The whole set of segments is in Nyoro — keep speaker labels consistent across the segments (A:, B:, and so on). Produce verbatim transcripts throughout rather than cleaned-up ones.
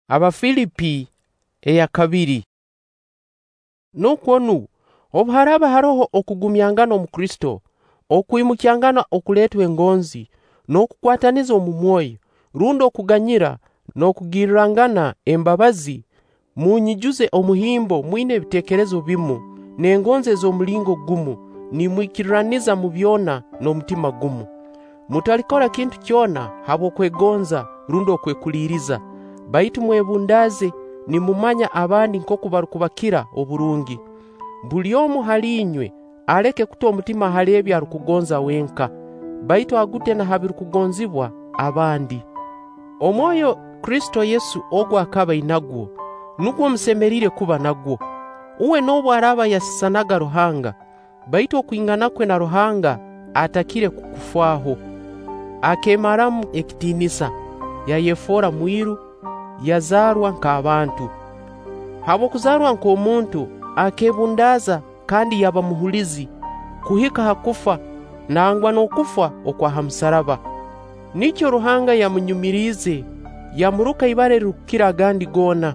A: Abafilipi eya kabiri. Nukwo nu, obu haraaba haroho okugumyangana omu Kristo, okwimukyangana okuleetwa engonzi, n'okukwataniza omu mwoyo, rundi okuganyira n'okugirrangana embabazi, munyijuze omuhimbo mwina ebiteekerezo bimu, n'engonzi ez'omulingo gumu, nimwikirraniza mu byona n'omutima gumu. Mutalikora kintu kyona habw'okwegonza rundi okwekuliiriza, baitu mwebundaaze nimumanya abandi nkooku barukubakira oburungi. Buli omu hali inywe aleke kuta omutima hali ebi arukugonza wenka, baitu agute na ha birukugonzibwa abandi. Omwoyo Kristo Yesu ogu akaba ainagwo, nugwo musemeriire kuba nagwo. Uwe noobu araaba yasisanaga Ruhanga, baitu okwingana kwe na Ruhanga atakire kukufaaho. Akeemaramu ekitiinisa, yayefoora mwiru, yazaarwa nk'abantu. Habw'okuzaarwa nk'omuntu, akeebundaaza kandi yaba muhulizi kuhika ha kufa, nangwa n'okufa okwa ha musaraba. Nikyo Ruhanga yamunyumiriize, yamuruka ibara erirukukira agandi goona,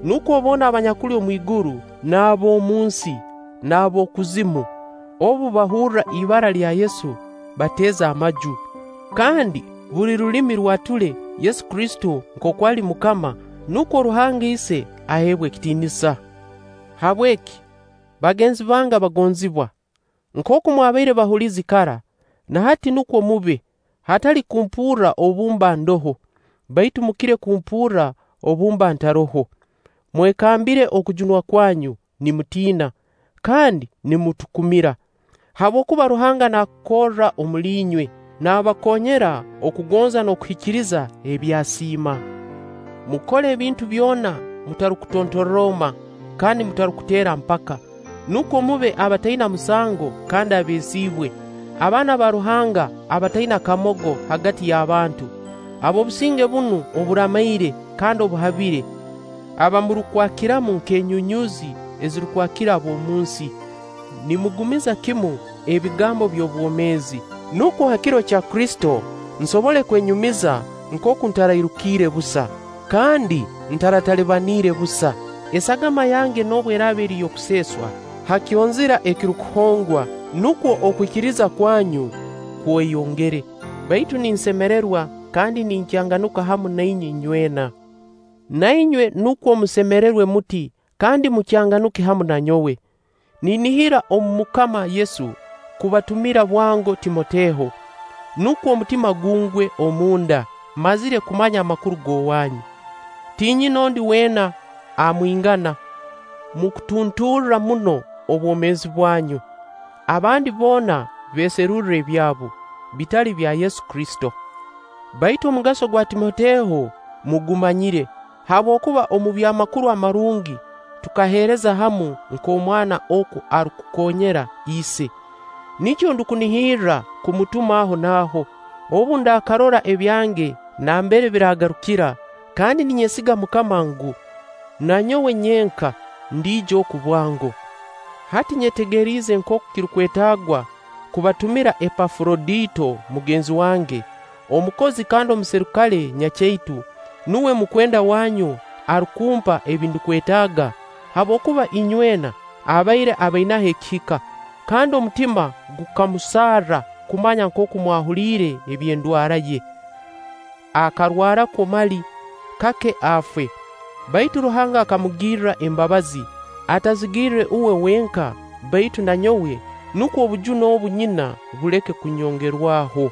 A: nukwo boona abanyakuli omwiguru n'ab'omunsi n'ab'okuzimu, obu bahurra ibara lya Yesu bateeze amaju, kandi buli rulimi rwature Yesu Kristo nkooku ali Mukama, nukwo Ruhanga Ise aheebwe ekitiinisa. Habweki, bagenzi bange abagonzibwa, nkooku mwabaire bahulizi kara, na hati nukwo mube, hatali kumpurra obu mba ndoho, baitu mukire kumpurra obu mba ntaroho. Mwekambire okujunwa kwanyu nimutiina, kandi nimutukumira, habwokuba Ruhanga naakorra omuli inywe, naabakoonyera okugonza n'okuhikiriza ebi asiima. Mukole ebintu byona mutarukutontorroma kandi mutarukuteera mpaka, nukwo mube abataina musango kandi abeesiibwe, abaana ba Ruhanga abataina kamogo hagati y'abantu, ab'obusinge bunu oburamaire kandi obuhabire, abamurukwakiramu nk'enyunyuuzi ezirukwakira ab'omunsi, nimugumiza kimu ebigambo by'obwomeezi, nukwo ha kiro kya Kristo nsobole kwenyumiza nkooku ntarairukiire busa, kandi ntaratalibaniire busa. Esagama yange noobu eraaba eri y'okuseeswa ha kyonzira ekirukuhongwa, nukwo okwikiriza kwanyu kweyongere. Baitu ninsemererwa kandi ninkyanganuka hamu na inywe inywena. Na inywe nukwo musemererwe muti kandi mukyanganuke hamu na nyowe. Ninihira omu Mukama Yesu kubatumira bwango Timoteho, nukwo omutima gungwe omunda, mazire kumanya amakuru g'owanyu. Tinyina ondi weena amwingana mu kutunturra muno obwomeezi bwanyu. Abandi boona beeserurra ebyabo, bitali bya Yesu Kristo. Baitu omugaso gwa Timoteho mugumanyire, habwokuba omu by'amakuru amarungi tukaheereza hamu nk'omwana oku arukukoonyera ise. Nikyo ndukunihirra kumutuma aho n'aho, obu ndaakarora ebyange nambere biraagarukira, kandi ninyesiga Mukama ngu na nyowe nyenka ndiija oku bwango. Hati nyetegeriize nkooku kirukwetaagwa kubatumira Epafurodito mugenzi wange, omukozi kandi omuserikale nyakyaitu, nuwe mukwenda wanyu arukumpa ebi ndukwetaaga, habwokuba inywena abaire abainaho ekihika, kandi omutima gukamusarra kumanya nkooku mwahuliire eby'endwara ye. Akarwarakwo mali kake afe, baitu Ruhanga akamugirra embabazi, atazigirre uwe wenka, baitu na nyowe, nukwo obujune obu nyina buleke kunyongerwaho.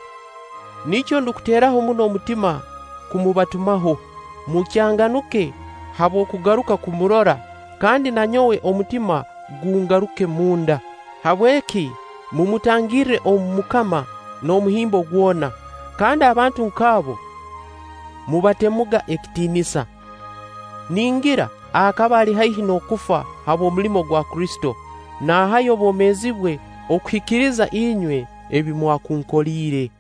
A: Nikyo ndukuteeraho muno omutima kumubatumaho, mukyanganuke habw'okugaruka kumurora, kandi na nyowe omutima gungaruke munda. Habweki mumutangirre omu Mukama n'omuhimbo gwona, kandi abantu nk'abo mubatemuga ekitiinisa. Ningira akaba ali haihi n'okufa habw'omulimo gwa Kristo, naahayo obwomeezi bwe okuhikiriza inywe ebi mwakunkoliire.